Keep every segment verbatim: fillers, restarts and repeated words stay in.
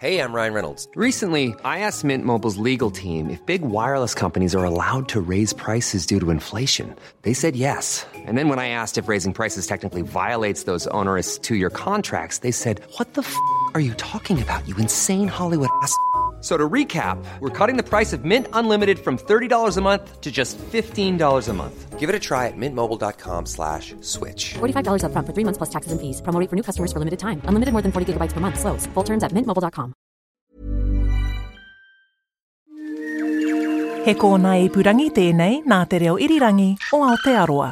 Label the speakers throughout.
Speaker 1: Hey, I'm Ryan Reynolds. Recently, I asked Mint Mobile's legal team if big wireless companies are allowed to raise prices due to inflation. They said yes. And then when I asked if raising prices technically violates those onerous two year contracts, they said, What the f are you talking about, you insane Hollywood ass? f- So to recap, we're cutting the price of Mint Unlimited from thirty dollars a month to just fifteen dollars a month. Give it a try at mintmobile dot com slash switch.
Speaker 2: forty-five dollars upfront for three months plus taxes and fees. Promo rate for new customers for limited time. Unlimited more than forty gigabytes per month. Slows. Full terms at mint mobile dot com.
Speaker 3: He kōnae ipurangi tēnei nā Te Reo Irirangi o Aotearoa.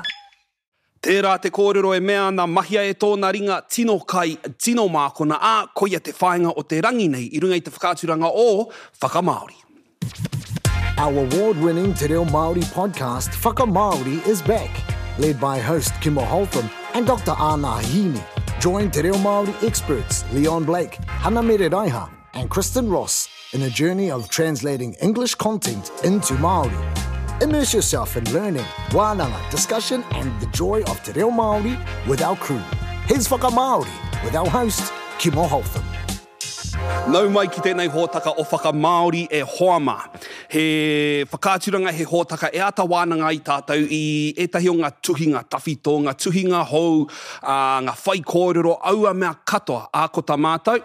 Speaker 4: Tērā te kōrero e mea ana mahia e tōna ringa tino kai, tino mākona, ā, koia te whāinga o te rangi nei i runga i te whakaaturanga o Whakamāori.
Speaker 5: Our award-winning Te Reo Māori podcast Whakamāori is back, led by host Kimo Holtham and Doctor Anna Hini. Join Te Reo Māori experts Leon Blake, Hana Mere Raiha and Kristen Ross in a journey of translating English content into Māori. Immerse yourself in learning, wānanga, discussion and the joy of Te Reo Māori with our crew. Here's Whakamāori with our host, Kimo Holtham.
Speaker 4: Nau mai ki tēnei hōtaka o Whakamāori e hoa mā. He whakaaturanga, he hōtaka e āta wānanga i tātou i ētahi o ngā tuhinga tawhito, ngā tuhinga hou, ā, ngā whaikōrero, aua mea katoa, ā ko tā mātou,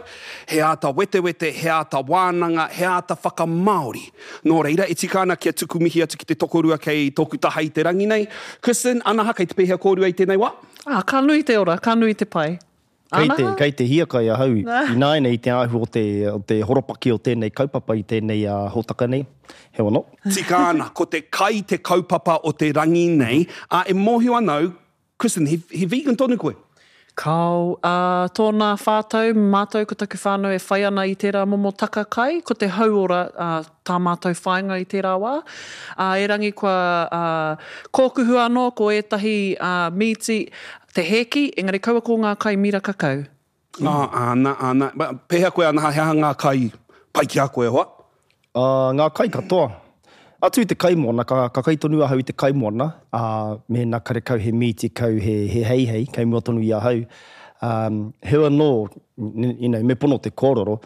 Speaker 4: he āta wetewete, he āta wānanga, he āta whakamāori. Nō reira, e tika ana kia tuku mihi atu ki te tokorua kei tōku taha i te rangi nei. Kristen, Anaha, kei te pēhea kōrua i tēnei wā?
Speaker 6: Ah, ka nui te ora, ka nui te pai.
Speaker 7: Kei te,
Speaker 6: Anaha?
Speaker 7: Kei te hiakai ahau ināianei i te āhua o te, o te horopaki o tēnei kaupapa i tēnei uh, hōtaka nei. Heoi anō.
Speaker 4: Tika ana, ko te kai te kaupapa o te rangi nei. Ā, e mōhio ana au, Kristen, he, he vegan tonu koe?
Speaker 6: Kao, uh, tōna whātau, mātou ko taku whānau e whai ana i tērā momo taka kai, ko te hauora uh, tā mātou whāinga i tērā wā. Uh, erangi kua uh, kōkuhu anō ko ētahi uh, mīti te hēki, engari kaua ko ngā kai miraka kau.
Speaker 4: Ah, ana, ana. Ba, pēhea koe, Anaha, he aha ngā kai pai ki a koe, hoa?
Speaker 7: Uh, ngā kai katoa. Atu i te kaimoana, ka, ka kai tonu ahau i te kaimoana, uh, mēnā karekau he mīti kau, he, he heihei, kei mua tonu i ahau. Um, heoi anō, you know, me pono te kōrero,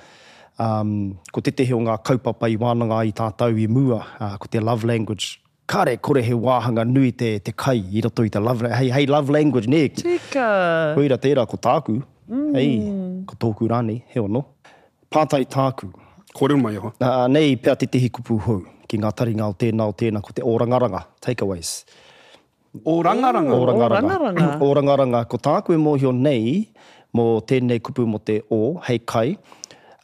Speaker 7: um, ko tētehi o ngā kaupapa i wānanga ai tātou i mua, uh, ko te love language. Kāre kore he wāhanga nui te, te kai i roto i te love, hei, hei love language, nē.
Speaker 6: Tika.
Speaker 7: Koira tērā ko tāku, mm. hei, ko tōku rānei, heoi anō. Pātai tāku.
Speaker 4: Kōrero mai, hoa.
Speaker 7: Uh, nei pea tētehi kupu hou ki ngā taringa o tēnā o tēnā, ko te ōrangaranga, takeaways.
Speaker 4: Ōrangaranga?
Speaker 7: Ōrangaranga.
Speaker 6: Ōrangaranga.
Speaker 7: Ōrangaranga. Ko tāku e mōhio nei mō tēnei kupu mō te o, hei kai,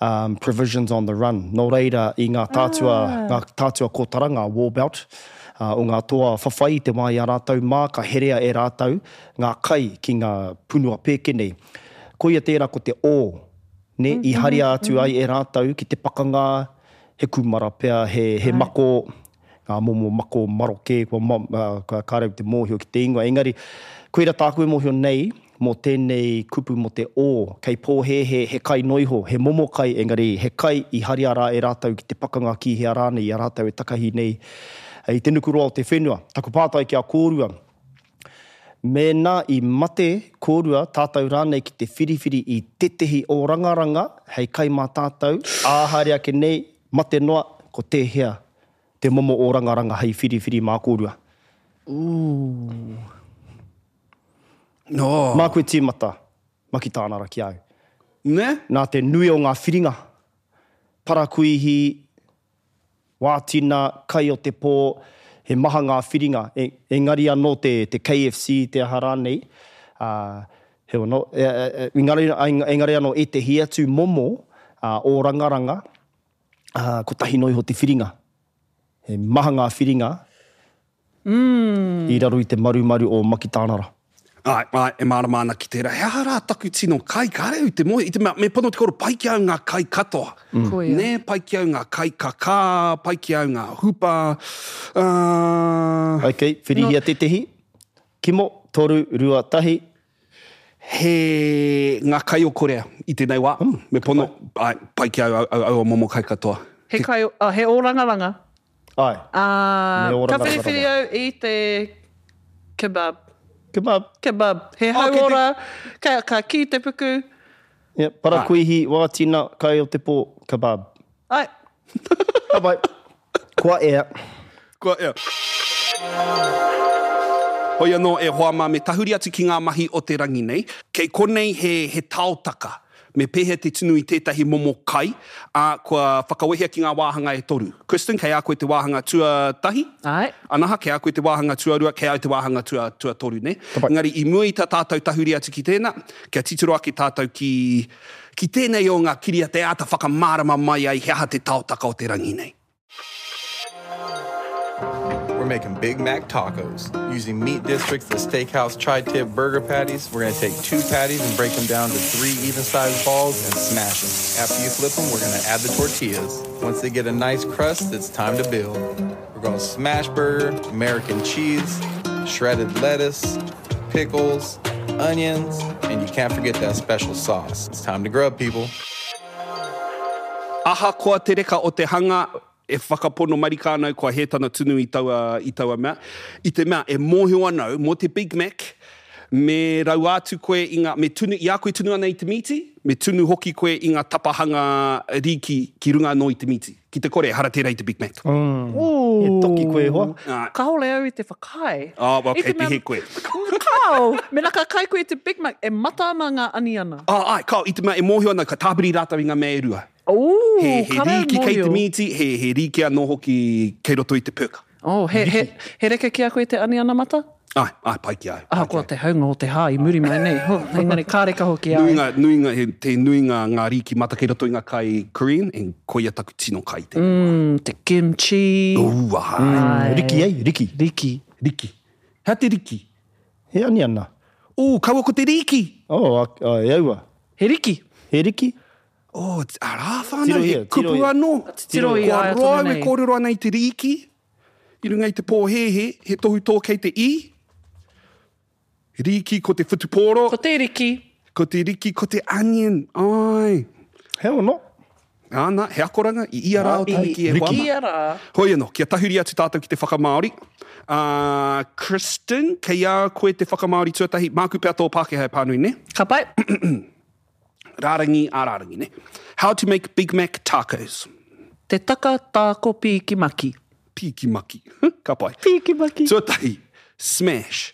Speaker 7: um, provisions on the run. Nō reira i ngā tātua, ah. ngā tātua kōtara, ngā war belt, uh, o ngā toa whawhai i te wā i a rātou mā, ka herea e rātou ngā kai ki ngā punua pēke nei. Koia tērā ko te o, ne, i haria atu ai e rātou ki te pakanga, he kūmara pea, he, he mako, ngā momo mako maroke, kua, ma, uh, ka kāre au te mōhio ki te ingoa. Engari, koira tāku e mōhio nei, mō tēnei kupu mō te o, kei pōhēhē he kai noiho, he momo kai, engari he kai i haria rā e rātou ki te pakanga ki hea rānei, i a rātou e takahi nei i te nukuroa o te whenua. Taku pātai ki a kōrua, mēnā i mate kōrua tātou rānei ki te whiriwhiri i tētehi ōrangaranga hei kai mā tātou, ā haere ake nei, mate noa, ko tēhea te momo ōrangaranga hei whiriwhiri mā kōrua?
Speaker 4: Ooh. No.
Speaker 7: Mā koe tīmata, Makitānara ki au.
Speaker 4: Ne?
Speaker 7: Nā te nui o ngā whiringa, parakuihi, wātina, kai o te pō, he maha ngā whiringa, e, engari anō te, te K F C, te aha rānei, uh, heoi anō, e, e, e, engari, engari anō ētehi atu momo uh, ōrangaranga, uh, kotahi noa iho te whiringa. He maha ngā whiringa mm. i raro i te marumaru o Makitānara.
Speaker 4: Ai, ai, e mārama ana ki tērā. He aha rā taku tino kai, kāre au te moe. I te mea, me pono te koro, pai ki au ngā kai katoa.
Speaker 6: Mm. Koia.
Speaker 4: Nē, pai ki au ngā kai kakā, pai ki au ngā hupa. Uh...
Speaker 7: Ok, whirihia no. Tētehi. Kimo, toru, rua, tahi.
Speaker 4: He ngā kai o Korea i tēnei wā. Mm. Me pono, ai, pai ki au, au, au, au momo kai katoa.
Speaker 6: He, kai, oh, he ōrangaranga.
Speaker 7: Ai.
Speaker 6: Uh,
Speaker 7: Me
Speaker 6: ka
Speaker 7: ōrangaranga.
Speaker 6: whiriwhiri au i te kebab.
Speaker 7: Kebab.
Speaker 6: Kebab. He
Speaker 4: Oh, kei te-
Speaker 6: hauora, ka, ka kī te puku.
Speaker 7: Yeah, parakuihi, wātina, kai o te pō, kebab.
Speaker 6: Ai.
Speaker 7: Ka pai. Kua ea.
Speaker 4: Kua ea. Hoi anō e hoa mā, me tahuri atu ki ngā mahi o te rangi nei. Kei konei he, he taotaka. Me pēhea te tunu i tētahi momo kai, ā, kua whakawehea ki ngā wāhanga e toru. Kristen, kei a koe te wāhanga tuatahi.
Speaker 6: Āe.
Speaker 4: Anaha, kei a koe te wāhanga tuarua, kei au te wāhanga tua, tuatoru, nē? Engari, i mua i tā tātou tahuri atu ki tēnā, kia titiro ake tātou ki, ki tēnei o ngā kiriata e āta whakamārama mai ai he aha te taotaka o te rangi nei.
Speaker 8: We're making Big Mac tacos. Using Meat District's the Steakhouse Tri-Tip Burger Patties, we're gonna take two patties and break them down to three even-sized balls and smash them. After you flip them, we're gonna add the tortillas. Once they get a nice crust, it's time to build. We're gonna smash burger, American cheese, shredded lettuce, pickles, onions, and you can't forget that special sauce. It's time to grub, people.
Speaker 4: Ahakoa te reka o te hanga, e whakapono marika ana au kua hē tana tunu i taua, i taua mea. I te mea, e mōhio ana au mō te Big Mac, me raua atu koe i ngā, me tunu, i a koe tunu ana i te mīti, me tunu hoki koe i ngā tapahanga rīki ki runga anō i te mīti. Ki te kore, ehara tērā i te Big Mac.
Speaker 7: Mm. He toki koe e hoa.
Speaker 6: Kāore au i te whakaae.
Speaker 4: Oh, well,
Speaker 6: I te
Speaker 4: kei te
Speaker 6: mea
Speaker 4: hē koe.
Speaker 6: Kāo! Mena ka kai koe i te Big Mac, e mata ana ngā aniana.
Speaker 4: Oh, ai, kāo, i te mea e mōhio ana, ka tāpiri rātou i ngā mea e rua.
Speaker 6: Ooh,
Speaker 4: He, he
Speaker 6: kāre
Speaker 4: rīki kei te
Speaker 6: mōhio.
Speaker 4: mīti, he, he rīki anō hoki kei roto i te pēka.
Speaker 6: Oh, he, he, he reka ki a koe te aniana mata?
Speaker 4: Ai, ai, pai ki a au.
Speaker 6: Ahakoa te haunga o te hā i muri mai nei. Ho, engari ka reka hoki a au.
Speaker 4: Nuinga, nuinga, he, te nuinga ngā rīki mata kei roto i ngā kai Korean, and koia taku tino kai te.
Speaker 6: Mm, te kimchi.
Speaker 4: Ooh, ai.
Speaker 6: Ai.
Speaker 7: Riki, eh? Riki.
Speaker 6: Riki.
Speaker 4: Riki. Hea te riki?
Speaker 7: He aniana.
Speaker 4: Ooh, kaua ko te riki.
Speaker 7: Oh, a, a, e aua.
Speaker 6: He riki.
Speaker 7: He riki.
Speaker 4: Oh, arā whānau,
Speaker 7: Tirohia,
Speaker 4: he kupu
Speaker 7: tirohia.
Speaker 4: anō.
Speaker 6: Tiro i
Speaker 4: Kua
Speaker 6: aia
Speaker 4: roa
Speaker 6: tonu
Speaker 4: au e
Speaker 6: nei.
Speaker 4: kōrero ana i te riki, i runga i te pōhēhē, he tohu tō kei te i. Riki ko te whutupōro.
Speaker 6: Ko te riki.
Speaker 4: Ko te riki, ko te onion. Ai.
Speaker 7: He ono.
Speaker 4: Āna, he akoranga i ia rā o Tahiki e hoa
Speaker 6: I
Speaker 4: ma.
Speaker 6: ia rā.
Speaker 4: Hoi anō, kia tahuri atu tātou ki te whakamāori. Uh, Kristen, kei a koe te whakamāori tuatahi, māku pea tō Pākehā e pānui, ne?
Speaker 6: Ka pai.
Speaker 4: Rārangi a rārangi, ne? How to make Big Mac tacos.
Speaker 6: Te taka tāko pīki maki.
Speaker 4: Pīki maki. Ka pai.
Speaker 6: Pīki maki.
Speaker 4: Tuatahi, smash.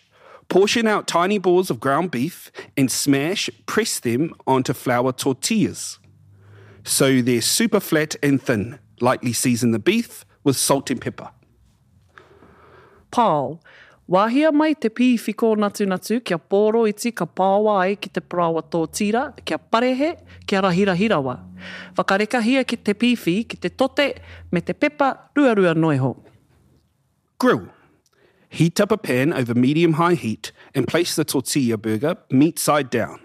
Speaker 4: Portion out tiny balls of ground beef and smash, press them onto flour tortillas. So they're super flat and thin. Lightly season the beef with salt and pepper.
Speaker 6: Pao. Wāhia mai te pīwhi kōnatunatu kia pōro iti ka pāoa ai ki te paraoa tōtira, kia parehe, kia rahirahi rawa. Whakarekahia ki te pīwhi, ki te tote, me te pepa, ruarua noiho.
Speaker 4: Grill. Heat up a pan over medium-high heat and place the tortilla burger meat side down.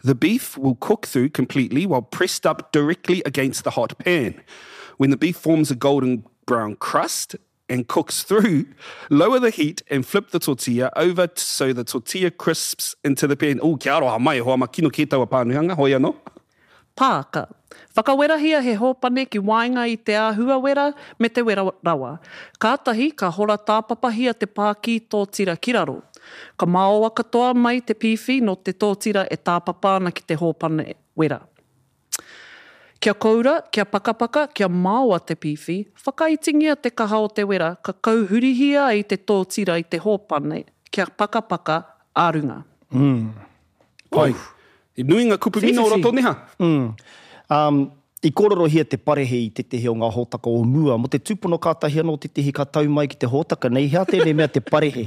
Speaker 4: The beef will cook through completely while pressed up directly against the hot pan. When the beef forms a golden brown crust and cooks through, lower the heat and flip the tortilla over t-, so the tortilla crisps into the pan. Oh, kia aroha mai, hoa ma kino kē taua pānuhanga, hoi anō.
Speaker 6: Pāka. Whakawerahia he hōpane ki waenga i te āhua wera me te wera rawa. Kātahi ka hora tāpapahia te pākī tōtira ki raro. Ka maoa katoa mai te pīwhi no te tōtira e tāpapa ana ki te hōpane wera. Kia koura, kia pakapaka, kia maoa te pīwhi, whakaitingia te kaha o te wera, ka kauhurihia ai te tōtira i te hōpane, kia pakapaka a runga.
Speaker 7: Mm. Pai.
Speaker 4: He nui ngā kupu mino o roto neha.
Speaker 7: Mm. Um, i kōrerohia te parehe i tētehi o ngā hōtaka o mua, mo te tūpono kātahi anō tētehi ka tau mai ki te hōtaka nei, hea tēnei mea te parehe?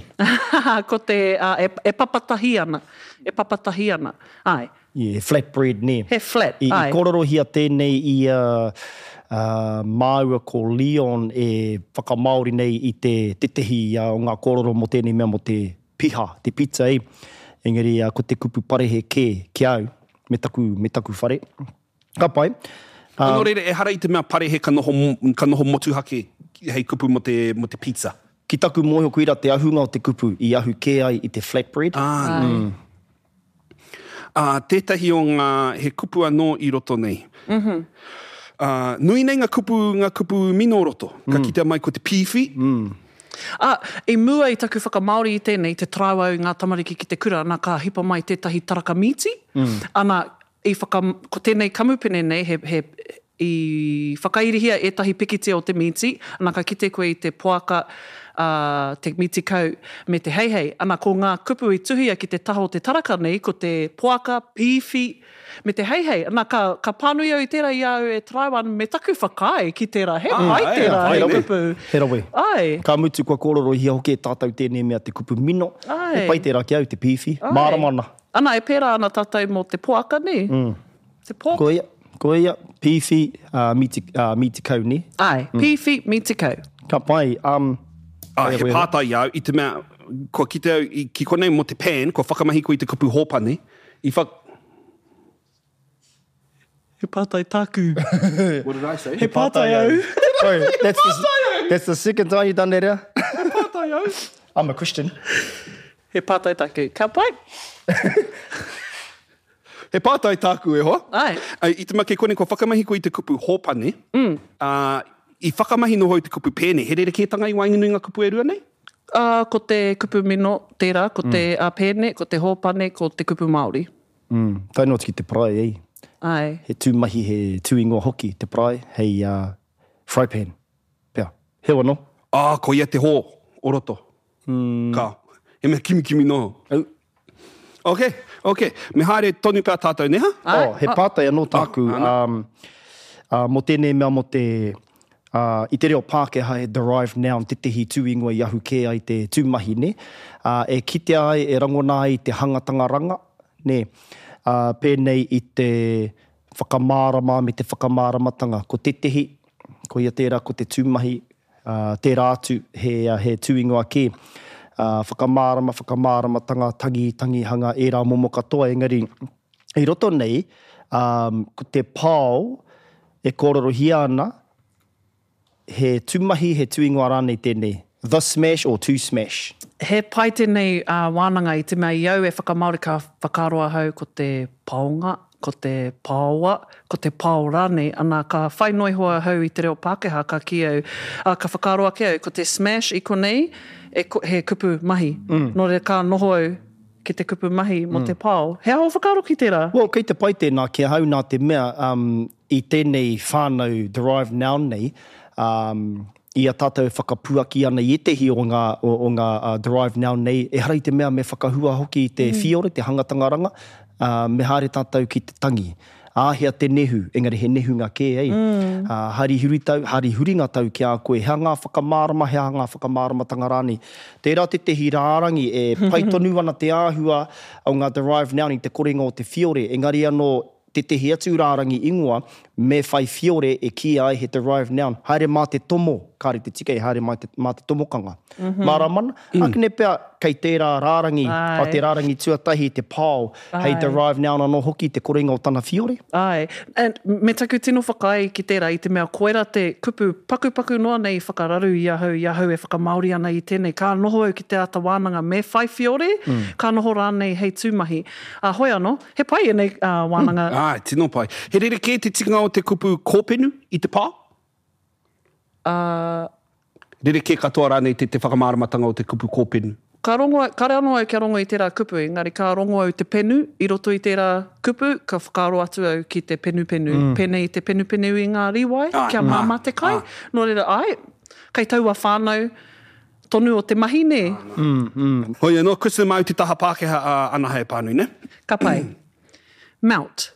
Speaker 6: Ko te, uh, e, e papatahi ana, e papatahi ana, ai.
Speaker 7: Yeah, flatbread, ne.
Speaker 6: He flat,
Speaker 7: I, i
Speaker 6: ai.
Speaker 7: kōrerohia tēnei i uh, uh, māua ko Leon e whakamāori nei i te tētehi uh, o ngā kōrero mō tēnei mea mō te piha, te pizza e. Engari uh, ko te kupu parehe kē ki au, me taku, me taku whare. Ka pai.
Speaker 4: Uh, Nō reira, ehara i te mea parehe ka noho, ka noho motuhake hei kupu mō te, mō te pizza.
Speaker 7: Ki taku mōhio koira te ahunga o te kupu i ahu kē ai i te flatbread.
Speaker 4: Ah,
Speaker 7: Mm.
Speaker 4: Uh, tētahi o ngā, he kupu anō i roto nei.
Speaker 6: Mm-hmm.
Speaker 4: Uh, nui nei ngā kupu, ngā kupu mino roto. Ka
Speaker 7: Mm.
Speaker 4: kitea mai ko te pīwhi.
Speaker 7: Mm.
Speaker 6: Ah, i mua i taku whakamāori i tēnei, te taraiwa i ngā tamariki ki te kura, ana ka hipa mai tētahi taraka mīti.
Speaker 7: Mm.
Speaker 6: Ana, i whaka, ko tēnei kamupene nei, he, he, i whakairihia ētahi pikitia o te mīti, ana ka kite koe i te poaka, uh, te mīti kau me te heihei. Ana ko ngā kupu i tuhia ki te taha o te taraka nei, ko te poaka, pīwhi, me te heihei. Ana ka, ka pānui au i tērā i a au e taraiwa ana me taku whakaae ki tērā. He
Speaker 4: Ah,
Speaker 6: pai
Speaker 4: ai,
Speaker 6: tērā,
Speaker 4: ai,
Speaker 6: he
Speaker 4: rawe.
Speaker 6: kupu.
Speaker 7: He rawe.
Speaker 6: Ai.
Speaker 7: Ka mutu kua kōrorohia hoki e tātou tēnei mea te kupu mino.
Speaker 6: Ai.
Speaker 7: He pai tērā ki au, te pīwhi.
Speaker 6: Ai.
Speaker 7: Mārama ana.
Speaker 6: Ana, e pērā ana tātou mō te poaka, nē? Mm. Te poaka.
Speaker 7: Ko ia, ko ia, pīwhi, uh, mīti, uh, mīti kau, nē?
Speaker 6: Ai, mm. pīwhi, mīti kau.
Speaker 7: Ka pai. Um,
Speaker 4: Ah, he pātai au, i te mea, kua kite au, i, ki konei mō te pan, kua whakamahi koe i te kupu hōpane, i whak...
Speaker 6: He pātai tāku.
Speaker 4: What did I say?
Speaker 6: He pātai au.
Speaker 7: Sorry, that's the, that's the second time you've done that, eh?
Speaker 6: He pātai au.
Speaker 7: I'm a Christian.
Speaker 6: He pātai tāku. Ka pai?
Speaker 4: He pātai tāku e hoa.
Speaker 6: Ai.
Speaker 4: Ai, I te mea kei konei, kua whakamahi koe i te kupu hōpane, mm. uh, i whakamahi noho i te kupu pēne, he rerekētanga i waenganui ngā kupu e rua nei?
Speaker 6: Uh, ko te kupu mino tērā, ko te mm. uh, pēne, ko te hōpane, ko te kupu Māori.
Speaker 7: Mm. Tae noa atu ki te parae, eh?
Speaker 6: Ai.
Speaker 7: He tū mahi, he tū ingoa hoki, te parae, hei uh, fry pan. Pea. Heo anō.
Speaker 4: Ah, ko ia te hō o roto. Mm. Ka. He mea kimikimi noho.
Speaker 7: Au.
Speaker 4: Ok, ok. Me haere tonu pea tātou, neha?
Speaker 6: Ai.
Speaker 7: Oh, he pātai anō tāku.
Speaker 4: Ah,
Speaker 7: um, uh, mō tēnei mea mō te, uh, i te reo Pākehā he derived noun tētehi tū ingoa i ahu kē ai te tū mahi, ne? Uh, e kitea ai, e rangona ai te hangatanga ranga, ne? Uh, pēnei i te whakamārama me te whakamāramatanga. Ko tētehi, ko ia tērā, ko te tū mahi, uh, tērā atu he, he tū ingoa kē. Uh, whakamārama, whakamāramatanga, tangi, tangihanga, ērā momo katoa, engari i roto nei, um, ko te pao e kōrorohia ana, he tūmahi, he tūingoa rānei tēnei. The smash or to smash.
Speaker 6: He pai tēnei uh, wānanga i te mea i au e whakamāori ka whakaaro ahau ko te paonga, ko te paoa, ko te pao rānei. Ana ka whai noa iho ahau i te reo Pākehā, ka kī au, uh, ka whakaaro ake au, ko te smash i konei, e, ko, he kupu mahi. Mm. Nō reira ka noho au ki te kupu mahi mō mm. te pao. He aha o whakaaro ki tērā?
Speaker 7: Well, kei te pai tēnā ki ahau nā te mea um, i tēnei whānau derived noun nei, um, i a tātou e whakapuaki ana i ētehi o ngā, o, o ngā uh, derived noun nei, ehara i te mea me whakahua hoki i te mm. whiore, te hangatanga ranga, uh, me haere tātou ki te tangi. Āhea te nehu, engari he nehunga kē, ei. Mm. Uh, hari huritau, hari huringa tau ki a koe, hea ngā whakamārama, hea ngā whakamāramatanga rānei. Tērā tētehi rārangi e pai tonu ana te āhua o ngā derived noun i te korenga o te whiore, engari anō tētehi atu rārangi ingoa, me whai whiore e kīia ai he derived noun. Haere mā te tomo, kāre te tika e haere mā te, mā te tomokanga. Mm-hmm. Mārama ana, mm. Akene pea kei tērā rārangi,
Speaker 6: Ai.
Speaker 7: o te rārangi tuatahi te pao, hei
Speaker 6: Ai.
Speaker 7: derived noun anō hoki te korenga o tana whiore.
Speaker 6: Ai, and me taku tino whakaae ki tērā i te mea koera te kupu pakupaku noa nei i whakararu i ahau, i ahau e whakamāori ana i tēnei. Ka noho au ki te āta wānanga me whai whiore, mm. ka noho rānei hei tūmahi. Uh, hoi anō, he pai ēnei uh, wānanga.
Speaker 4: Mm. Ai, tino pai. He rerekē te tikanga o te kupu kōpenu i te pao?
Speaker 6: Uh,
Speaker 4: Rerekē katoa rānei te, te whakamāramatanga o te kupu kōpenu?
Speaker 6: Ka rongo, kare anō au kia rongo i tērā kupu, engari ka rongo au te penu i roto i tērā kupu, ka whakaaro atu au ki te penupenu. Mm. Pēnei i te penupenu i ngā rīwai,
Speaker 4: Ai,
Speaker 6: kia māmā te kai.
Speaker 4: ai.
Speaker 6: Nō reira, ai, kei taua whānau tonu o te mahi, nē.
Speaker 7: Mm, mm.
Speaker 4: Hoi anō, Kristen māu te taha Pākehā uh, ana hei pānui, ne?
Speaker 6: Ka pai. Melt.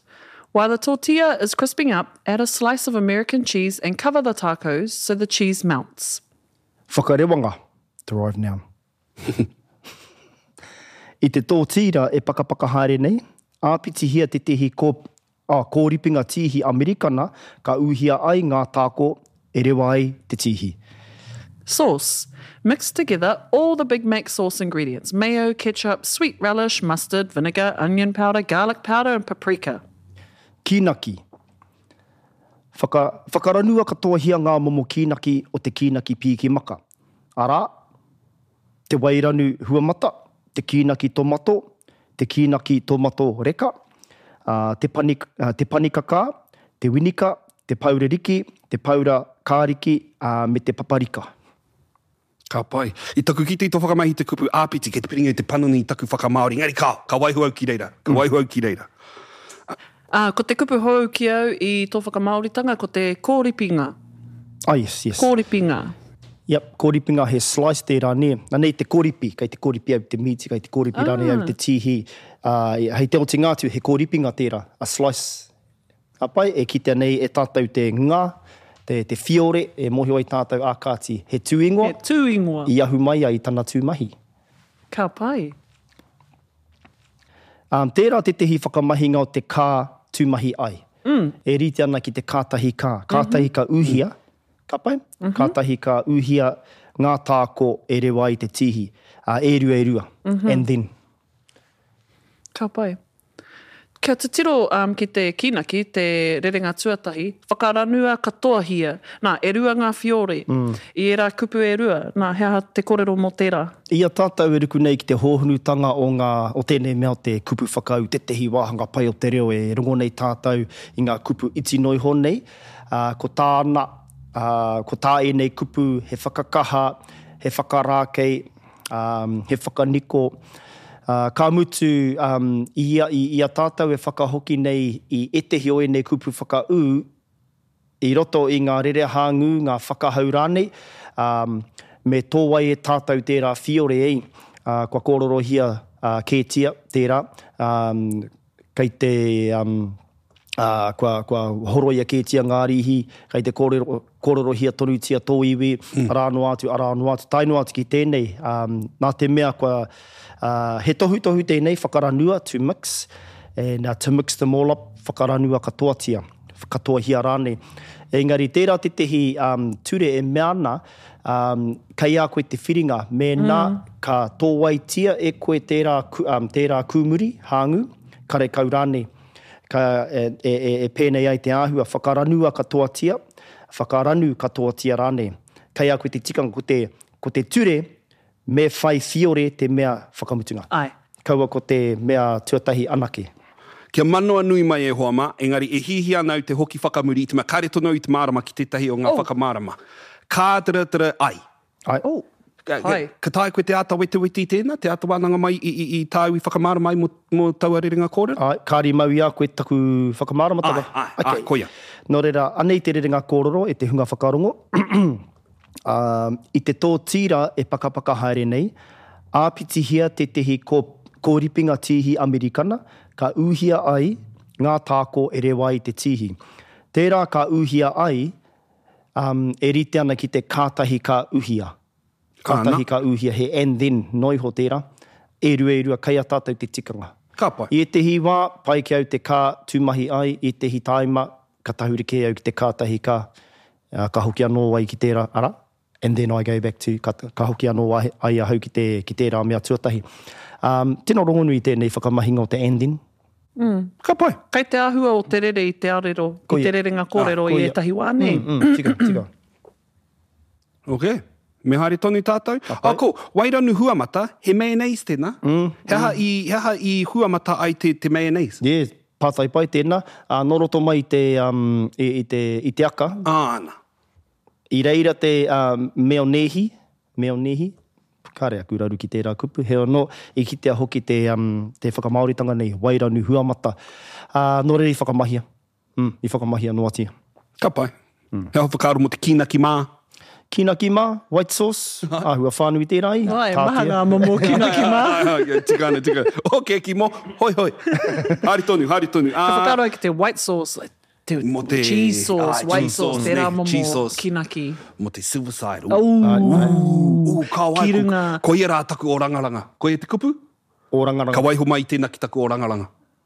Speaker 6: While the tortilla is crisping up, add a slice of American cheese and cover the tacos so the cheese melts.
Speaker 7: Whakarewanga, derived noun. I te tōtīra e pakapaka haere nei, āpitihia tētehi kō, ah, kōripinga tīhi Amerikana ka uhia ai ngā tāko e rewa ai te tīhi.
Speaker 6: Sauce. Mix together all the Big Mac sauce ingredients. Mayo, ketchup, sweet relish, mustard, vinegar, onion powder, garlic powder and paprika.
Speaker 7: Kīnaki. Whaka, whakaranua katoahia ngā momo kīnaki o te kīnaki pīki maka. Arā, te wairanu huamata, te kīnaki tomato, te kīnaki tomato reka, uh, te, pani, uh, te panikakā, te winika, te paura riki, te paura kāriki, uh, me te paparika.
Speaker 4: Ka pai. I taku kite i tō whakamahi te kupu āpiti, kei te piringa i te panoni i taku whakamāori. Engari ka, ka waiho au ki reira. Ka waiho au ki reira.
Speaker 6: Ā, ko te kupu hou ki au i tō whakamāoritanga, ko te kōripinga.
Speaker 7: Ah, yes, yes.
Speaker 6: Kōripinga.
Speaker 7: Yep, kōripinga he slice tērā, nē. Anei te kōripi, kei te kōripi au te mīti, kei te kōripi ah. rānei au te tīhi. Uh, hei te otinga atu, he kōripinga tērā, a slice. Ka pai, e kitea nei e tātou te ngā, te, te whiore, e mōhio ai tātou, ā kāti, he tū ingoa.
Speaker 6: He tū ingoa.
Speaker 7: I ahu mai ai tana tū mahi.
Speaker 6: Ka pai.
Speaker 7: Um, tērā tētehi whakamahinga o te ka tūmahi ai.
Speaker 6: Mm.
Speaker 7: E rite ana ki te kātahi ka. Kātahi ka uhia, ka pai?
Speaker 6: Mm -hmm.
Speaker 7: Kātahi ka uhia ngā tāko e rewa ai te tīhi. Uh, e rua e rua.
Speaker 6: Mm -hmm.
Speaker 7: And then.
Speaker 6: Ka pai. Kia titiro um, ki te kīnaki, te rerenga tuatahi, whakaranua katoahia. Nā, e rua ngā whiore.
Speaker 7: Mm.
Speaker 6: I ērā kupu e rua, nā, he aha te kōrero mō tērā?
Speaker 7: I a tātou e ruku nei ki te hōhonutanga o ngā, o tēnei mea o te kupu whakaū, tētehi wāhanga pai o te reo e rongo nei tātou i ngā kupu iti noa iho nei, uh, ko tāna, uh, ko tā ēnei kupu he whakakaha, he whakarākei, um, he whakaniko, Uh, ka mutu, um, i, i, i a tātou e whakahoki nei i ētehi o ēnei kupu whakaū, i roto i ngā rerehāngū, ngā whakahau rānei, um, me tōwai e tātou tērā whiore ei, uh, kua kōrorohia uh, kētia tērā, um, kei te, um, uh, kua, kua horoia kētia ngā rīhi, kei te kōrero, kōrorohia tonutia tō iwi, mm. arā noa atu, arā noa atu, tae noa atu ki tēnei, um, nā te mea kua, uh, he tohutohu tēnei, whakaranua, to mix, and uh, to mix them all up, whakaranua katoatia, katoahia rānei. Engari tērā tētehi um, ture e mea ana, um, kei a koe te whiringa, mēnā
Speaker 6: mm.
Speaker 7: ka tōwaitia e koe tērā, um, tērā kūmuri, hāngū, karekau rānei. Ka, e, e, e, e pēnei ai te āhua, whakaranua katoatia, whakaranu katoatia rānei. Kei a koe te tikanga, ko te, ko te ture, me whai whiore te mea whakamutunga.
Speaker 6: Ai.
Speaker 7: Kaua ko te mea tuatahi anake.
Speaker 4: Kia manoa nui mai e hoa mā, engari e hihia ana au te hoki whakamuri i te mea kāre tonu au i te mārama ki tētahi o ngā
Speaker 6: Oh.
Speaker 4: whakamārama. Kā tara tara ai.
Speaker 7: Ai.
Speaker 6: Oh.
Speaker 4: Ka, ka,
Speaker 6: Ai.
Speaker 4: ka taea koe te āta wetewete i tēnā, te āta wānanga mai i, i, i tāu i whakamārama ai mō, mō taua rerenga kōrero?
Speaker 7: Ai, kāri mau i a koe taku whakamāramatanga.
Speaker 4: Ai, ai, ai, koia.
Speaker 7: Nō reira, anei te rerenga kōrero e te hunga whakarongo. um, i te tō tīra e pakapaka haere nei, āpitihia tētehi kō, kōripinga tīhi Amerikana, ka uhia ai ngā tāko e rewa ai te tīhi. Tērā ka uhia ai, um, e rite ana ki te kātahi ka uhia. Kātahi ka uhia, he and then noiho tērā. E rua e rua, kei a tātou te tikanga.
Speaker 4: Ka pai.
Speaker 7: I ētehi wā, pai ki au te ka tūmahi ai, i ētehi tāima, ka tahuri kē au ki te kātahi ka, uh, ka hoki anō ai ki tērā, ara, and then I go back to, ka, ka hoki anō ai, ai ahau ki, te, ki tērā mea tuatahi. Um, tino rongonui tēnei whakamahinga o te and then.
Speaker 6: Mm.
Speaker 4: Ka pai.
Speaker 6: Kei te āhua o te rere i te arero,
Speaker 7: Koia.
Speaker 6: i te rerenga kōrero
Speaker 7: Ah,
Speaker 6: i
Speaker 7: koia.
Speaker 6: ētahi wā, nē?
Speaker 7: Mm, mm, tika, tika.
Speaker 4: Ok. Me haere tonu tātou. Ah, ko, wairanu huamata, he mayonnaise tēnā.
Speaker 7: Mm,
Speaker 4: he, aha i, he aha i huamata ai te, te mayonnaise?
Speaker 7: Yeah, pātai pai tēnā. Uh, nō roto mai i te, um, i, i te, i te aka.
Speaker 4: Āna.
Speaker 7: I reira te um, meonehi, meonehi, kāre aku raru ki tērā kupu, he anō, i kitea hoki te, um, te whakamāoritanga nei, wairanu huamata. Uh, nō reira i whakamahia, mm, i whakamahia noatia.
Speaker 4: Ka pai. Mm. He aha whakaaro mō te kīnaki mā?
Speaker 7: Kīnaki mā, white sauce, āhua whānui tērā i.
Speaker 6: Ai, maha ngā momo kīnaki mā.
Speaker 4: Ai, tika ana, tika. Ok, ki mō, hoi hoi. Haere tonu, haere tonu.
Speaker 6: Ka
Speaker 4: Ah,
Speaker 6: whakaaro ai ki te white sauce, like, te,
Speaker 4: Mō te-
Speaker 6: cheese sauce,
Speaker 4: ah,
Speaker 6: white
Speaker 4: cheese
Speaker 6: sauce,
Speaker 4: sauce,
Speaker 6: tērā
Speaker 4: nē,
Speaker 6: momo
Speaker 4: cheese sauce.
Speaker 6: kīnaki.
Speaker 4: Mō te silverside.
Speaker 6: Au,
Speaker 4: Ū, ka wai,
Speaker 6: Ki
Speaker 4: ko,
Speaker 6: runga.
Speaker 4: koia rā taku orangaranga. Koia te kupu?
Speaker 7: Orangaranga.
Speaker 4: Ka waiho mai tēnā ki taku orangaranga.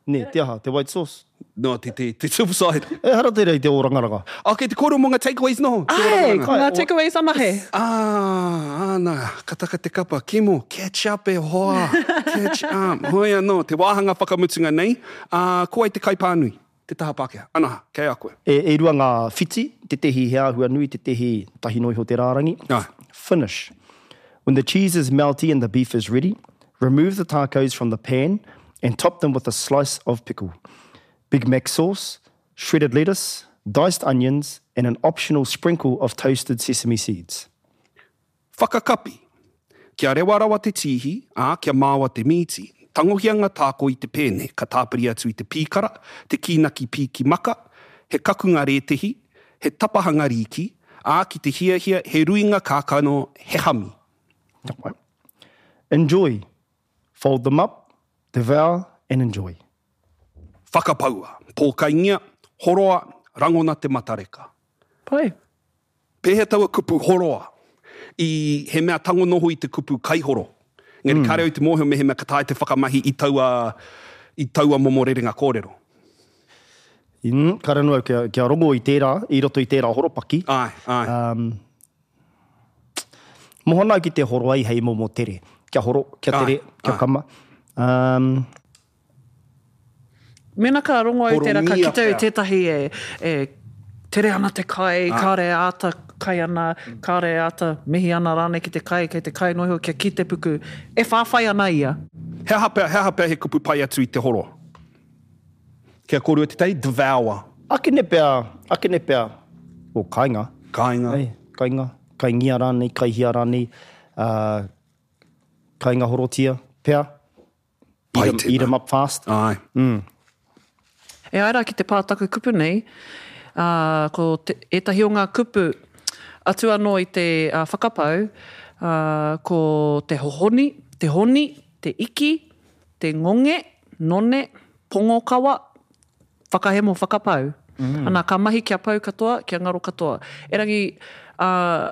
Speaker 7: Nē, te aha, te white sauce.
Speaker 4: No, te, te, te silverside.
Speaker 7: E hara tērā i te orangaranga.
Speaker 4: Ok, te kōrero mō ngā takeaways noho. Te
Speaker 6: Ai,
Speaker 4: orangaranga.
Speaker 6: ko ngā takeaways anahe.
Speaker 4: Ah, ana, ka taka te kapa. Kimo, catch up e hoa. Catch up. Hoi anō, te wāhanga whakamutunga nei. Uh, ko ai te kaipānui, te taha Pākehā. Ana, kei a koe.
Speaker 7: E, e rua ngā whiti, te tehi he āhua nui, te tehi tahi noa iho te rārangi.
Speaker 4: Ai.
Speaker 7: Finish. When the cheese is melty and the beef is ready, remove the tacos from the pan and top them with a slice of pickle, Big Mac sauce, shredded lettuce, diced onions, and an optional sprinkle of toasted sesame seeds.
Speaker 4: Whakakapi. Kia rewa rawa te tīhi, ā, kia māua te mīti, Tangohia ngā tāko i te pēne, ka tāpiri atu i te pīkara, te kīnaki pīki maka, he kakunga rētehi, he tapahanga rīki, ā, ki te hiahia, he ruinga kākano, he hami.
Speaker 7: Enjoy. Fold them up, devour and enjoy.
Speaker 4: Whakapaua, pōkaingia, horoa, rangona te matareka.
Speaker 6: Pai.
Speaker 4: Pēhea taua kupu horoa? I, he mea tango noho i te kupu kaihoro. Engari mm. kāre au te mōhio mehemea ka taea te whakamahi i taua, i taua momo rerenga kōrero.
Speaker 7: Mm, kāre anō au kia, kia rongo i tērā, i roto i tērā horopaki.
Speaker 4: Āe, āe.
Speaker 7: Um, moho ana au ki te horo ai hei momo tere. Kia horo, kia tere,
Speaker 4: Āe,
Speaker 7: kia
Speaker 4: āe.
Speaker 7: kama. Um,
Speaker 6: Mēnā ka rongo au tērā, ka
Speaker 4: Horomia
Speaker 6: kite au
Speaker 4: pea.
Speaker 6: tētahi e, e tere ana te kai, kāre āta kai ana, kāre āta mihi ana rānei ki te kai, kei te kai noa iho kia ki te puku. E whāwhai ana ia.
Speaker 4: He aha pea, he aha pea he kupu pai atu i te horo? Kia kōrua te tei, devour.
Speaker 7: Akene pea, akene pea, o kainga.
Speaker 4: Kainga.
Speaker 7: Ei, kainga, kaingia rānei, kaihia rānei, uh, kainga horotia, pea.
Speaker 4: Pai
Speaker 7: Eat 'em,
Speaker 4: tēnā.
Speaker 7: eat 'em up fast.
Speaker 4: Āe.
Speaker 7: Mm.
Speaker 6: E ai rā ki te pātaku kupu nei, uh, ko te, ētahi o ngā kupu atu anō i te uh, whakapau, uh, ko te hohoni, te honi, te iki, te ngonge, none, pongokawa, whakahemo whakapau. Mm. Ana, ka mahi kia pau katoa, kia ngaro katoa. Erangi, uh,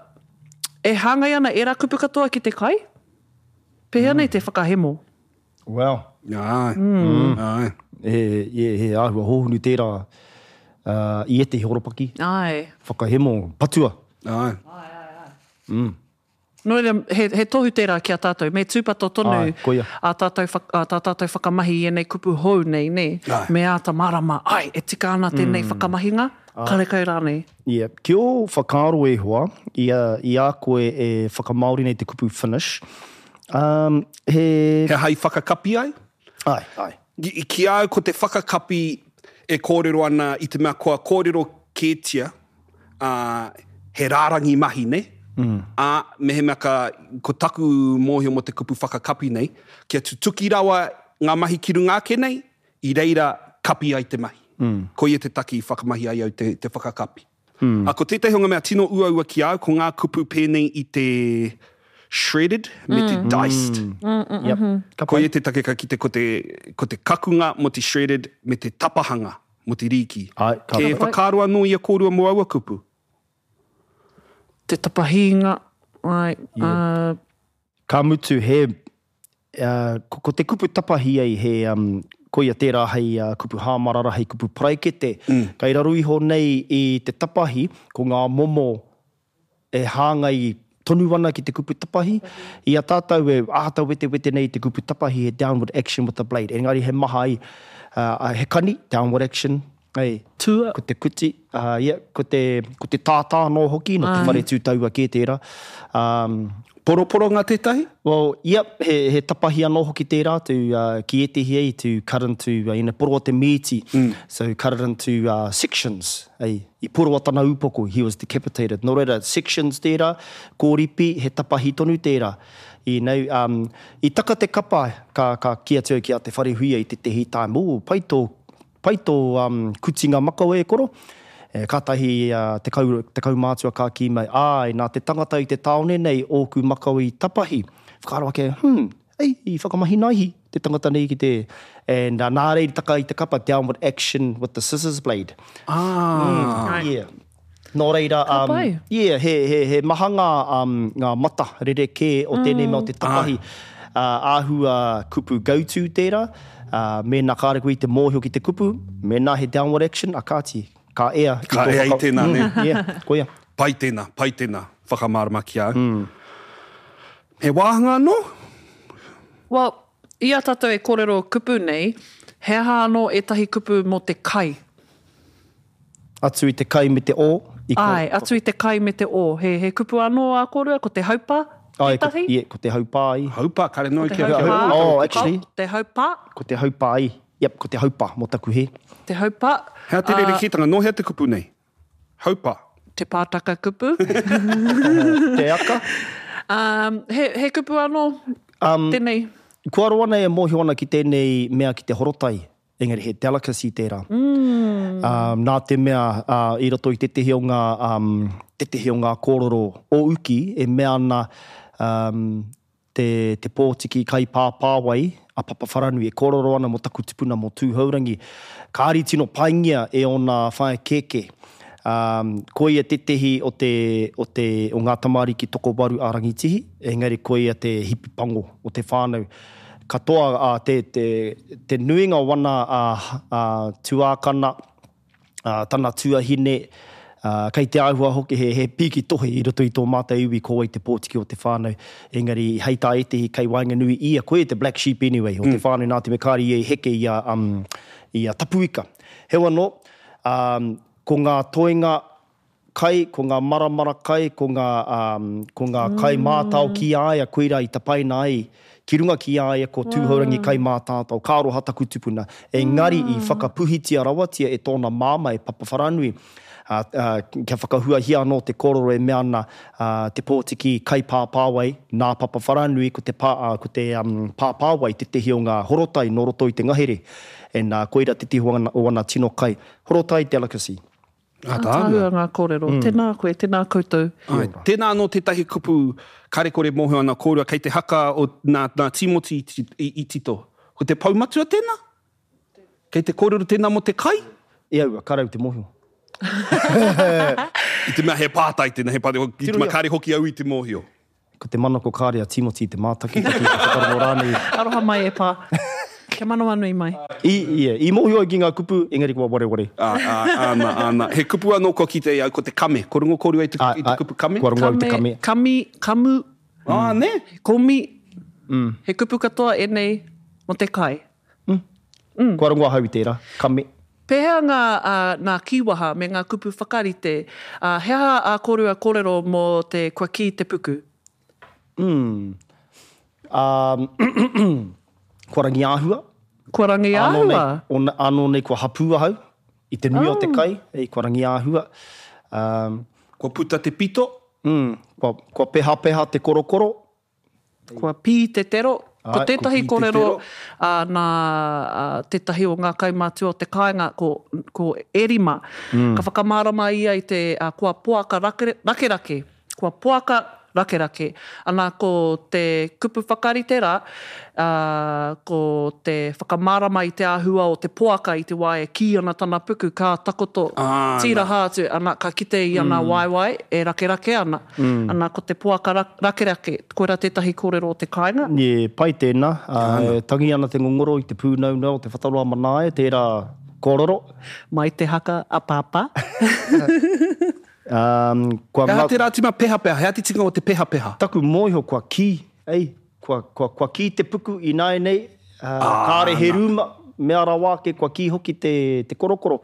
Speaker 6: e hāngai ana ērā kupu katoa ki te kai? Pēhea mm. nei te whakahemo?
Speaker 7: Well.
Speaker 4: Āe. Mm. Āe.
Speaker 7: He, he, he āhua hōhunu tērā uh, i ētehi horopaki.
Speaker 6: Āe.
Speaker 7: Whakahemo, patua.
Speaker 4: Āe.
Speaker 6: Āe, āe, āe.
Speaker 7: Mm.
Speaker 6: Nō reira, he, he tohu tērā ki a tātou. Me tūpato tonu
Speaker 7: Āe, koia.
Speaker 6: a tātou, whak, a tā tātou whakamahi i ēnei kupu hou nei, nē.
Speaker 7: Āe.
Speaker 6: Me āta mārama, ai, e tika ana tēnei
Speaker 7: Mm.
Speaker 6: whakamahinga,
Speaker 7: Āe.
Speaker 6: karekau rānei.
Speaker 7: Yeah. Ki ō whakaaro e hoa, i a, i a koe e whakamāori nei te kupu finish, um, he...
Speaker 4: He hai whakakapi ai?
Speaker 7: Ai, ai.
Speaker 4: Ki, ki a au ko te whakakapi e kōrero ana i te mea kua kōrero kētia, uh, he rārangi mahi, ne?
Speaker 7: Mm.
Speaker 4: Ā, mehemea ka, ko taku mōhio mō te kupu whakakapi nei, kia tutuki rawa ngā mahi ki runga ake nei, i reira kapi ai te mahi.
Speaker 7: Mm.
Speaker 4: Koia te taki i whakamahi ai au te, te whakakapi.
Speaker 7: Mm.
Speaker 4: A, ko tētahi o ngā mea tino uaua ki au, ko ngā kupu pēnei i te shredded me te
Speaker 6: Mm.
Speaker 4: diced.
Speaker 6: Mm, mm,
Speaker 7: Yep.
Speaker 6: mhm.
Speaker 7: Ka pai.
Speaker 4: Koia te take ka kite ko te, ko te kakunga mō te shredded me te tapahanga mō te rīki.
Speaker 7: Ai, ka
Speaker 4: Ke
Speaker 7: pai.
Speaker 4: whakaaro anō i a kōrua mō aua kupu?
Speaker 6: Te tapahinga, ai,
Speaker 7: Yeah.
Speaker 6: uh,
Speaker 7: Ka mutu he, uh, ko, ko te kupu tapahi ai he, um, koia tērā hei uh, kupu hāmarara, hei kupu paraikete. Mm. Kei raro iho nei i te tapahi, ko ngā momo e hāngai tonu ana ki te kupu tapahi. I a tātou e āta wetewete nei te kupu tapahi he downward action with the blade. Engari he maha ai, uh, he kani, downward action, Ei,
Speaker 6: Tua.
Speaker 7: Ko te kuti, uh, yeah, ko te, ko te tātā anō hoki, no te
Speaker 6: Ai.
Speaker 7: whare tūtaua kē tērā. Um,
Speaker 4: Poroporonga tētahi?
Speaker 7: Well, yep, he, he tapahi anō hoki tērā to, uh, ki ētehi ei to cut into, uh, ina poroa te mīti, mm. so cut it into uh, sections. Ei, i poroa tana upoko, he was decapitated. Nō reira, sections tērā, kōripi, he tapahi tonu tērā. I, know, um, i taka te kapa, ka, ka ki atu au ki a te whare huia i te tehi time, oh, pai tō, pai tō um, kutinga makawe e koro. E, kātahi uh, te, kau, te kaumātua ka kī mai, ai, nā te tangata i te tāone nei ōku makawe i tapahi. Whakaaro ake, hmm, ei, i whakamahi naihi te tangata nei ki te... And uh, nā reira taka i te kapa, downward action with the scissors blade.
Speaker 4: Ah.
Speaker 7: Mm, yeah. Nō reira,
Speaker 6: Ka
Speaker 7: um,
Speaker 6: pai.
Speaker 7: yeah, he, he, he maha ngā, um, ngā mata rerekē o tēnei mea o te tapahi. Uh, āhua kupu go-to tērā, uh, mēnā kāre koe i te mōhio ki te kupu, mēnā he downward action, a kāti, ka ea. ki
Speaker 4: Ka
Speaker 7: tō
Speaker 4: ea i
Speaker 7: whaka-
Speaker 4: tēnā,
Speaker 7: Mm,
Speaker 4: nē.
Speaker 7: Yeah, koia.
Speaker 4: Pai tēnā, pai tēnā, whakamārama ki au. Mm. He wāhanga anō?
Speaker 6: Well, i a tātou e kōrero kupu nei, he aha anō ētahi kupu mō te kai?
Speaker 7: Atu i te kai me te o. I ko,
Speaker 6: Ai, atu i te kai me te o. He, he kupu anō a kōrua, ko te haupa
Speaker 7: ai, ko,
Speaker 6: tētahi?
Speaker 7: yeah, ko te haupā i.
Speaker 4: Haupa, kare noa
Speaker 6: Ko te
Speaker 4: kia
Speaker 6: haupā.
Speaker 7: Oh, actually.
Speaker 6: Ko te haupā,
Speaker 7: Ko te haupā i. Yep, ko te haupā mō taku he.
Speaker 6: te haupā.
Speaker 4: Hea te
Speaker 6: Ah,
Speaker 4: rerekētanga, nō hea te kupu nei? Haupa.
Speaker 6: Te pātaka kupu.
Speaker 7: Te aka.
Speaker 6: Um, he, he kupu anō
Speaker 7: Um,
Speaker 6: tēnei.
Speaker 7: Kua roa nei e mōhio ana ki tēnei mea ki te horotai, engari he delicacy tērā. Mm. Um, nā te mea uh, i roto i tētehi o ngā, um, tētehi o ngā kōrero o uki e mea ana um, te, te pōtiki kai pāpāwai a Papawharanui e kōrero ana mō taku tupuna mō Tūhourangi. Kāri tino paingia e ōna whaea kēkē. Um, koia tētehi o, te, o, te, o ngā tamariki tokowaru a Rangitihi, engari koia te hipi pango o te whānau. Katoa uh, te, te, te nuinga o ana uh, uh, tuākana, uh, tana tuahine, uh, kei te āhua hoki he, he pīki tohe i roto i tō mātou iwi ko wai te pōtiki o te whānau. Engari hei tā ētehi kei waenganui ia, koia te black sheep anyway, o te mm. whānau nā te mea kāre ia i heke i a, um, i a Tapuika. Heoi anō, um, ko ngā toenga kai, ko ngā maramara kai, ko ngā, um, ko ngā mm. kai mātao ki a ia, koira i tapaina ai, ki runga ki a ia ko Tūhourangi kai mātātao, ka aroha taku tupuna. Engari mm. i whakapuhitia rawatia e tōna māma e Papawharanui, uh, uh, kia whakahuahia anō te kōrero e mea ana uh, te pōtiki kai pāpāwai, nā Papawharanui, ko te, pā, uh, ko te um, pāpāwai tētehi o ngā horotai nō roto i te ngahere. And uh, koira tētehi o ana, o ana tino kai. Horotai delicacy.
Speaker 6: Ātaahua ngā kōrero. Mm. Tēnā koe, tēnā koutou.
Speaker 4: Ai, tēnā anō tētahi kupu karekore mōhio ana kōrua kei te haka o nā, nā Tīmoti i, i, i tito. Ko te poumatua tēnā? Kei te kōrero tēnā mō te kai?
Speaker 7: E aua, karau te mōhio.
Speaker 4: I te mea he pātai tēnā, he pātai, i te mea kāre hoki au i te mōhio.
Speaker 7: Ko te manako kāre a Tīmoti i te mātakitaki, te whakarongo rānei.
Speaker 6: Aroha mai e pā. Kia manawanui mai.
Speaker 7: I, ia, i mōhio au ki ngā kupu, engari kua wareware.
Speaker 4: Ā, ā, āna, āna. He kupu anō kua kite i au, ko te kame. Ko rongo kōrua i te, i te kupu kame?
Speaker 7: Kua rongo au i te kame.
Speaker 6: Kami, kamu.
Speaker 4: Ā, nē?
Speaker 6: Komi. Mm. He kupu katoa ēnei mō te kai.
Speaker 7: Mm. Mm. Kua rongo ahau i tērā, kame.
Speaker 6: Pēhea ngā, uh, ngā kīwaha me ngā kupu whakarite? Uh, he aha ā kōrua kōrero mō te kua kī te puku?
Speaker 7: Mm. Um, kua rangiāhua.
Speaker 6: Kua rangiāhua?
Speaker 7: Anō nei, anō nei kua hapū ahau i te nui oh. o te kai, ei, kua rangiāhua. Um,
Speaker 4: kua puta te pito.
Speaker 7: Mm, kua, kua pehapeha te korokoro.
Speaker 6: Kua pī te tero. Ko tētahi kōrero uh, nā uh, tētahi o ngā kaumātua o te kāinga, ko, ko Erima. Mm. Ka whakamārama ia i te uh, kua poaka rake, rakerake. Kua poaka rakerake. Ana ko te kupu whakarite rā, uh, ko te whakamārama i te āhua o te poaka i te wā e kī ana tana puku, ka takoto
Speaker 4: ah,
Speaker 6: tīraha atu, ana ka kite i ana mm. waewae e rakerake ana. Mm. Ana ko te poaka rakerake, koira tētahi kōrero o te kāinga.
Speaker 7: Ye, pai tēnā. Uh, tangi ana te ngongoro i te pūnaunau o te whataroa manae, tērā kōrero.
Speaker 6: Mai te haka a pāpā.
Speaker 7: Um, kua
Speaker 4: He aha tērā tima pehapeha, he aha te tinga o te pehapeha?
Speaker 7: Taku mōhio kua kī, ei, kua, kua, kua kī te puku ināianei, uh, ah, kāre he rūma, mea rawa ake, kua kī hoki te, te korokoro,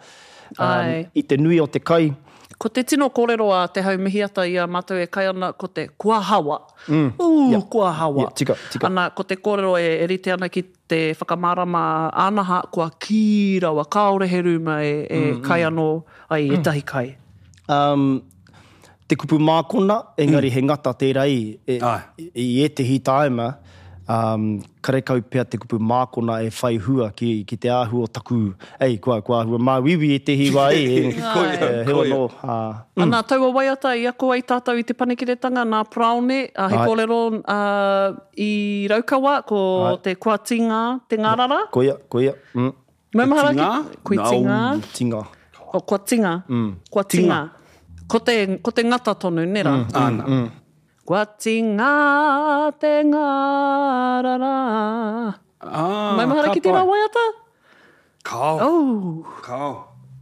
Speaker 7: um, i te nui o te kai.
Speaker 6: Ko te tino kōrero a Te Haumihiata i a mātou e kai ana, ko te kua hawa.
Speaker 7: Mm.
Speaker 6: Ū,
Speaker 7: yeah.
Speaker 6: kua hawa.
Speaker 7: Yeah, tika, tika.
Speaker 6: Ana, ko te kōrero e, e rite ana ki te whakamārama ānaha, kua kī rawa, kāore he rūma e, e mm, kai anō ai mm. ētahi kai.
Speaker 7: Um, te kupu mākona, engari mm. he ngata tērā i, e, i ētehi tāima, um, karekau pea te kupu mākona e whai hua ki, ki te āhua o taku, ei, kua, kua āhua māuiui ētehi wā e, e,
Speaker 4: koia,
Speaker 7: he ono. Uh,
Speaker 6: mm. Ana, taua waiata i ako ai tātou i te panekiretanga nā Praone, uh, he kōrero uh, i Raukawa, ko Ai. te kua tingā, te ngārara.
Speaker 7: Koia, koia. Mm.
Speaker 6: Maumahara ki? Kui tingā.
Speaker 7: No. Tingā.
Speaker 6: O, kua tinga,
Speaker 7: mm.
Speaker 6: kua tinga. Ko te, ko te ngata tonu, nera?
Speaker 7: Mm, mm, mm.
Speaker 6: Kua tinga te ngārara.
Speaker 4: Ah,
Speaker 6: Maumahara ki tērā waiata?
Speaker 4: Kao.
Speaker 6: Oh.
Speaker 4: Kao.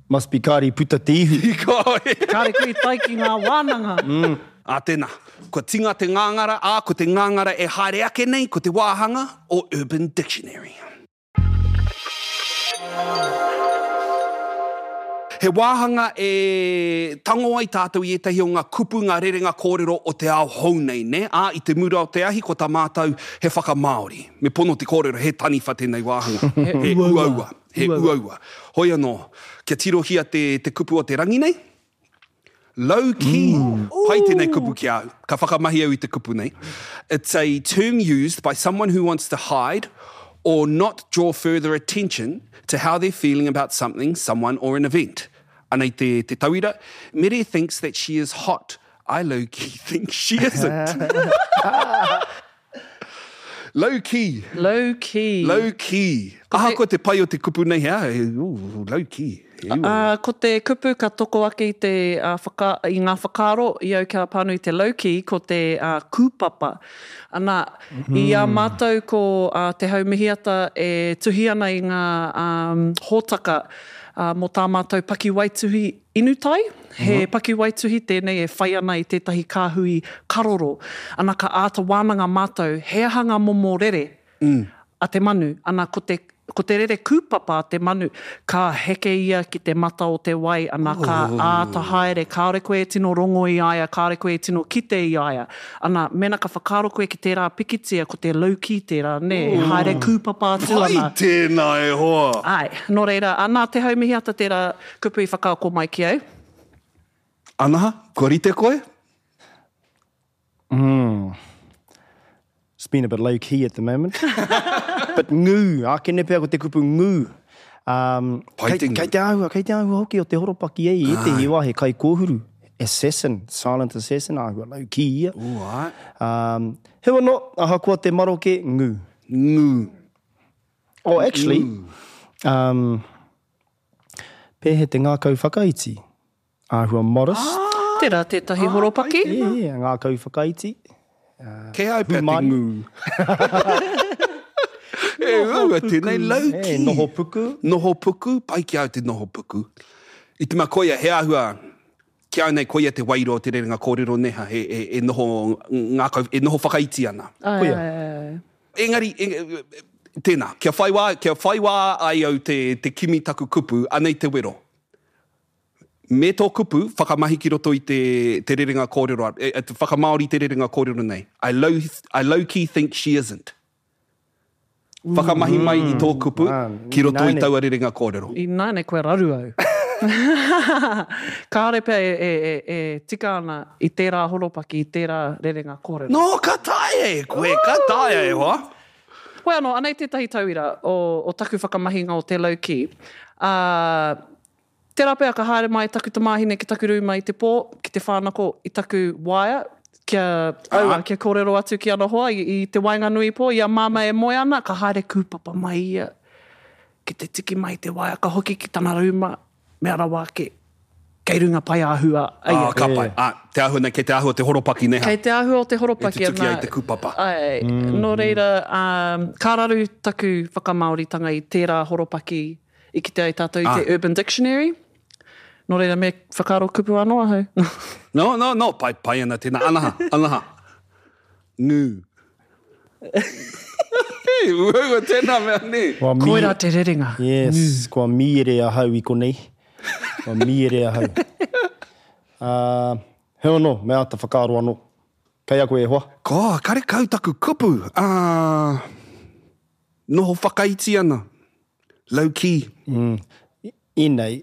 Speaker 7: Must be kāre puta te ihu.
Speaker 6: Kāre koe i tae ki ngā wānanga.
Speaker 7: Mm.
Speaker 4: Ā, tēnā. Kua tinga te ngāngara, ā, ko te ngāngara e haere ake nei, ko te wāhanga o Urban Dictionary. He wāhanga e tango ai tātou i ētahi o ngā kupu, ngā rerenga kōrero o te ao hou nei, ne? Ā, i te mura o te ahi, ko tā mātou he whakamāori. Me pono te kōrero, he taniwha tēnei wāhanga. He uaua. He uaua. Hoi anō, kia tirohia te, te kupu o te rangi nei, Low key. Pai tēnei kupu ki au. Ka whakamahi au i te kupu nei. It's a term used by someone who wants to hide or not draw further attention to how they're feeling about something, someone, or an event. Anei te, te tauira, Mere thinks that she is hot. I low-key think she isn't. Low-key.
Speaker 6: Low-key.
Speaker 4: Low-key. Ahakoa te pai o te kupu nei, hea, ooh, low-key.
Speaker 6: Uh, ko te kupu ka toko ake i, te, uh, whaka, i ngā whakaaro i au kia pānui te low-key, ko te uh, kūpapa. Ana, mm -hmm. I a mātou ko uh, Te Haumihiata e tuhi ana i ngā um, hōtaka uh, mō tā mātou pakiwaituhi inutai. He mm -hmm. pakiwaituhi tēnei e whai ana i tētahi kāhui karoro. Ana ka āta wānanga mātou, he aha ngā momo rere mm. a te manu. Ana ko te Ko te rere kūpapa a te manu, ka heke ia ki te mata o te wai, ana ka āta haere, kāore koe e tino rongo i a ia, kāore koe e tino kite i a ia. Ana, mena ka whakaaro koe ki tērā pikitia, ko te low key tērā, nē, e haere kūpapa atu ana.
Speaker 4: Pai tēnā e hoa!
Speaker 6: Āe, nō reira, ana Te Haumihiata tērā kupu i whakaako mai ki au.
Speaker 4: Anaha, kua rite koe?
Speaker 7: Mm. It's been a bit low key at the moment. But ngū, ākene pea ko te kupu ngū. Um, kei, kei te āhua, kei te āhua hoki o te horopaki e i ētehi wā he kaikōhuru. Assassin, silent assassin, āhua low key ia.
Speaker 4: Ooh, ai.
Speaker 7: Um, hewa no, ahakoa te maroke, ngū.
Speaker 4: Ngū.
Speaker 7: Oh, actually, um, pēhe te ngākau whakaiti. Āhua modest.
Speaker 6: Ah, tērā tētahi ah, horopaki.
Speaker 7: Yeah, yeah, ngākau whakaiti.
Speaker 4: Kei au pea te ngū. E uaua tēnei, low key.
Speaker 7: E, noho puku.
Speaker 4: Noho puku, pai ki au te noho puku. I te mea koia, he āhua, ki au nei koia te wairua o te rerenga kōrero neha, e, e, e noho ngākau, e noho whakaiti ana.
Speaker 6: Ai,
Speaker 7: Koia.
Speaker 6: ai, ai.
Speaker 4: Engari, e, tēnā, kia whai wā, kia whai wā ai au te, te kimi taku kupu, anei te wero. Me tō kupu, whakamahi ki roto i te, te rerenga kōrero, e, e, te whakamāori te rerenga kōrero nei. I low, I low key think she isn't. Whakamahi mai i tō kupu ki roto i taua rerenga kōrero.
Speaker 6: I nāne koe raru au. Kāore pea e, e, e, e tika ana i tērā horopaki, i tērā rerenga kōrero.
Speaker 4: No, ka taea e koe, ka taea e hoa.
Speaker 6: Hoi anō, anei tētahi tauira o, o taku whakamahinga o te low key. Uh, tērā pea ka haere mai taku tamāhine ki taku rūma i te pō, ki te whānako i taku waea, kia, aua, kia kōrero atu ki ana hoa i, i te waenganui pō, i a māma e moe ana, ka haere kūpapa mai ia, ki te tiki mai te waea, ka hoki ki tana rūma, mea rawa ake, kei runga pai āhua.
Speaker 4: Ai, ah, ka pai. Ah, te āhua nei, kei te āhua te horopaki neha.
Speaker 6: Kei te āhua o te horopaki.
Speaker 4: E tutuki ai te kūpapa.
Speaker 6: Ai, mm. Nō reira, um, ka raru taku whakamāoritanga i tērā horopaki i kite ai tātou i ah. te Urban Dictionary. Nō reira, me whakaaro kupu anō ahau.
Speaker 4: No, no, no, pai, pai ana tēnā. Anaha, anaha. Ngū. Hei, uaua tēnā mea nē.
Speaker 6: Koirā te rerenga.
Speaker 7: Yes, Ngū. Kua mīere ahau i konei. Kua mīere ahau. Uh, heo anō, me āta whakaaro anō. Kei a koe e hoa?
Speaker 4: Ko, karekau taku kupu. Uh, noho whakaiti ana. Low key.
Speaker 7: Mm. Inei.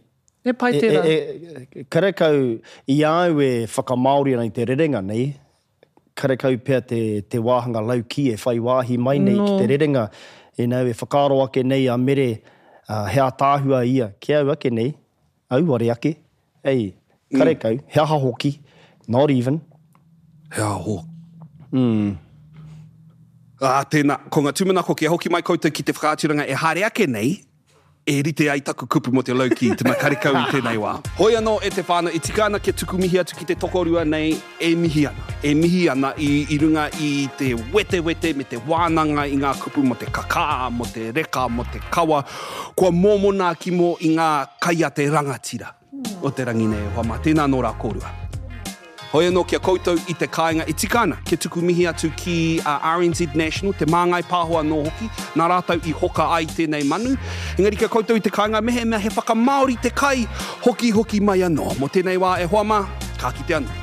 Speaker 6: E pai tērā.
Speaker 7: E, e, e, karekau, i au e whakamāori ana i te rerenga nei, karekau pea te, te wāhanga low key e whai wāhi mai nei no. ki te rerenga. E nau, e whakaaro ake nei a Mere, uh, he ātāhua ia, ki au ake nei, auare ake, ei, karekau, mm. he aha hoki, not even.
Speaker 4: He aha hoki.
Speaker 7: Mm.
Speaker 4: Ah, tēnā, ko ngā tūmanako kia hoki mai koutou ki te whakaaturanga e haere ake nei, e rite ai taku kupu mō te low key, te mea karekau i tēnei wā. Hoi anō e te whānau, e tika ana kia tuku mihi atu ki te tokorua nei, e mihi ana. E mihi ana i, i runga i te wetewete me te wānanga i ngā kupu mō te kakā, mō te reka, mō te kawa. Kua mōmona ki mō i ngā kai a te rangatira o te rangi nei e hoa mā. Tēnā nō rā kōrua. Hoi anō kia koutou i te kāinga e tika ana, kia tuku mihi atu ki uh, R N Z National, te māngai pāho anō hoki, nā rātou i hoka ai tēnei manu. Engari kia koutou i te kāinga, mehemea he whakamāori te kai, hoki hoki mai anō. Mō tēnei wā e hoa mā, ka kite anō.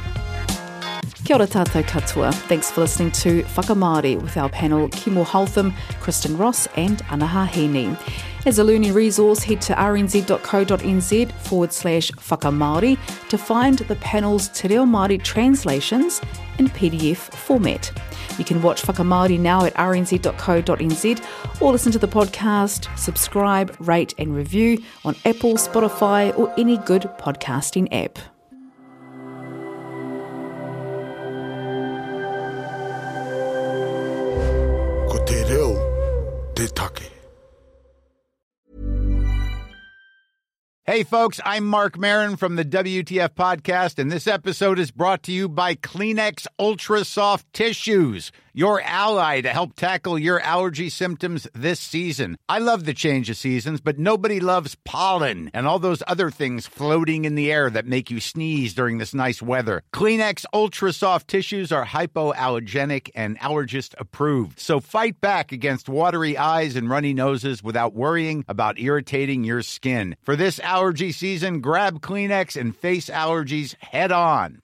Speaker 9: Kia ora tātou katoa. Thanks for listening to Whakamāori with our panel Kimo Holtham, Kristen Ross and Anaha Hini. As a learning resource, head to rnz.co.nz forward slash whakamāori to find the panel's Te Reo Māori translations in P D F format. You can watch Whakamāori now at r n z dot co dot n z or listen to the podcast, subscribe, rate and review on Apple, Spotify or any good podcasting app.
Speaker 10: Ko te reo te take.
Speaker 11: Hey, folks, I'm Mark Maron from the W T F Podcast, and this episode is brought to you by Kleenex Ultra Soft Tissues, your ally to help tackle your allergy symptoms this season. I love the change of seasons, but nobody loves pollen and all those other things floating in the air that make you sneeze during this nice weather. Kleenex Ultra Soft Tissues are hypoallergenic and allergist approved, so fight back against watery eyes and runny noses without worrying about irritating your skin. For this allergy season, grab Kleenex and face allergies head on.